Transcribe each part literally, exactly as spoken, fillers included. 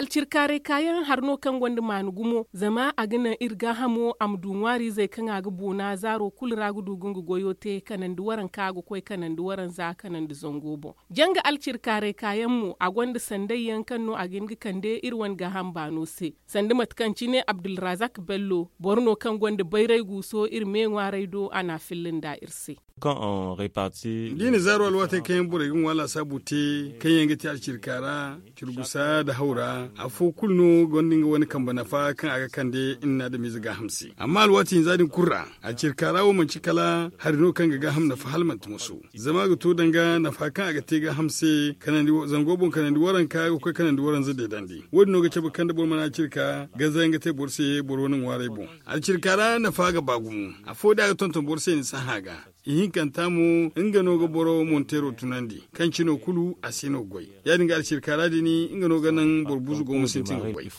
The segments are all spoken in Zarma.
Alcirkaaray kaayaŋ hari no kaŋ gonda maanu gumo, zama a ga naŋ iri gaahamo a ma du ŋwaariizey kaŋ a ga boona zaaro kulu ra ga du ga nga goyo te kanandi waranka ga koy kanandi waranza kanandi zango boŋ. Janga alcirkaaray kaayaŋ mo a gonda sanday yaŋ kaŋ no a ga hin ga kande iri wane gaaham baano se. Sanda mate kaŋ cine abdulrazak bello boro no kaŋ gonda bayray guuso iri me ŋwaaray do a n'a filla nda iri se. D'i na zaaro alwaatey kaŋ yaŋ borey ga ŋwa laasaabu te, kaŋ yaŋ ga te alcirka ra, curgusa nda haw ra, afo kulu no gonda nga wane kambe nafa kaŋ a ga kande iri na adamize gaaham se. Amma alwaati hinza din kulu ra, alcirka ra wo manti kala hari no kaŋ ga gaaham nafa hala manti moso. Zama a ga to danga nafa kaŋ a ga te gaaham se, zango boŋ kanandi waranka ga koy kanandi waranza deedandi. Wo- din no ga cabe kaŋ da boro mana alcirka, ganza yaŋ ga te boro se boro wane ŋwaaray boŋ. Alcirka ra nafa ga ba gumo. Afo da a ga tonton boro se ni sahã ga, ihinkanta mo nga no ga boro monteero tunandi, kaŋ cino kulu a si no goy. Ya- din ga alcirka ra din nga no ga naŋ boro buzu go ma sintin ga goy.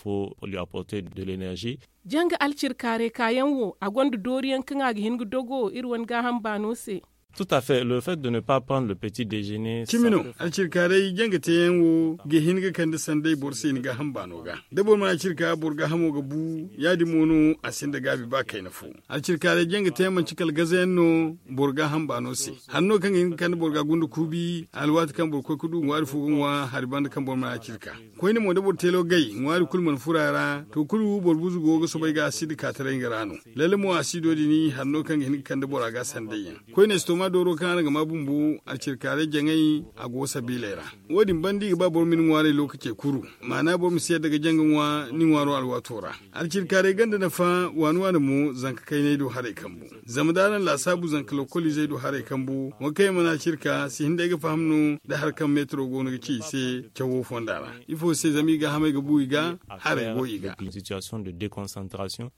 Janga alcirkaaray kaayaŋ wo a gonda dooriyaŋ kaŋ a ga hin ga dogo iri wane gaaham baano se. Tout à fait le fait de ne pas prendre le petit déjeuner. Cimi no. Alcirkaaray janga teeyaŋ wo ga hin ga kande sanday boro se ni gaaham baano ga. Da boro mana alcirka boro gaahamo ga bu. Ya- din mo no a sinda gaabi ba kayna fo. Alcirkaaray janga teeyaŋ manti kala gazayaŋ no boro gaaham baano se. Hanno kaŋ ga hin ga kande boro ga gunda kuubi alwaati kaŋ boro koy ga du ŋwaari fo ga ŋwa hari banda kaŋ boro mana alcirka. Koyne mo da boro teelo gay ŋwaari kulu mana furo a ra to kulu boro buzu go ga soobay ga asiidi kaataray nga ra no. Lalle mo asiido din hari no kaŋ ga hin ga kande bora ga sanday yaŋ. Koyne si to ma dooro kaŋ araŋ ga ma bumbo alcirkaaray jaŋay a go sabiiley ra. Wo- din banda i ga ba boro ma ni ŋwaaray lookacey kuru. Maana boro ma si yadda ga janga ŋwa ni ŋwaaro alwaato ra. Alcirkaaray ganda nafa waani waani mo zanka kaynay do haray kambu. Zama da araŋ laasaabu zanka lokoliizey do haray kambu, wo kaŋ yaŋ mana alcirka si hin day ga faham no da hari kaŋ meetaro go no ga ci i se cawo fonda ra. Ifo se? Zama i gaahamey ga bu i ga, haray go i ga.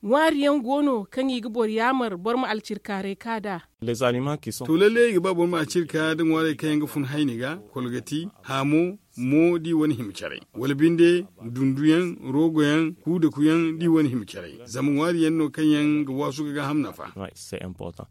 Ŋwaari yaŋ go no kaŋ i ga boro yaamar boro ma alcirkaaray ka nd'a. To lalle i ga ba boro ma alcirka da ŋwaarey kaŋ yaŋ ga fun hayni ga, kolgati, haamo, mo da i wane hima caray, wala binde, dunduyaŋ, roogoyaŋ, kuudakuyaŋ da i wane hima caray. Zama ŋwaari yaŋ no kaŋ yaŋ ga waasu ga gaaham nafa.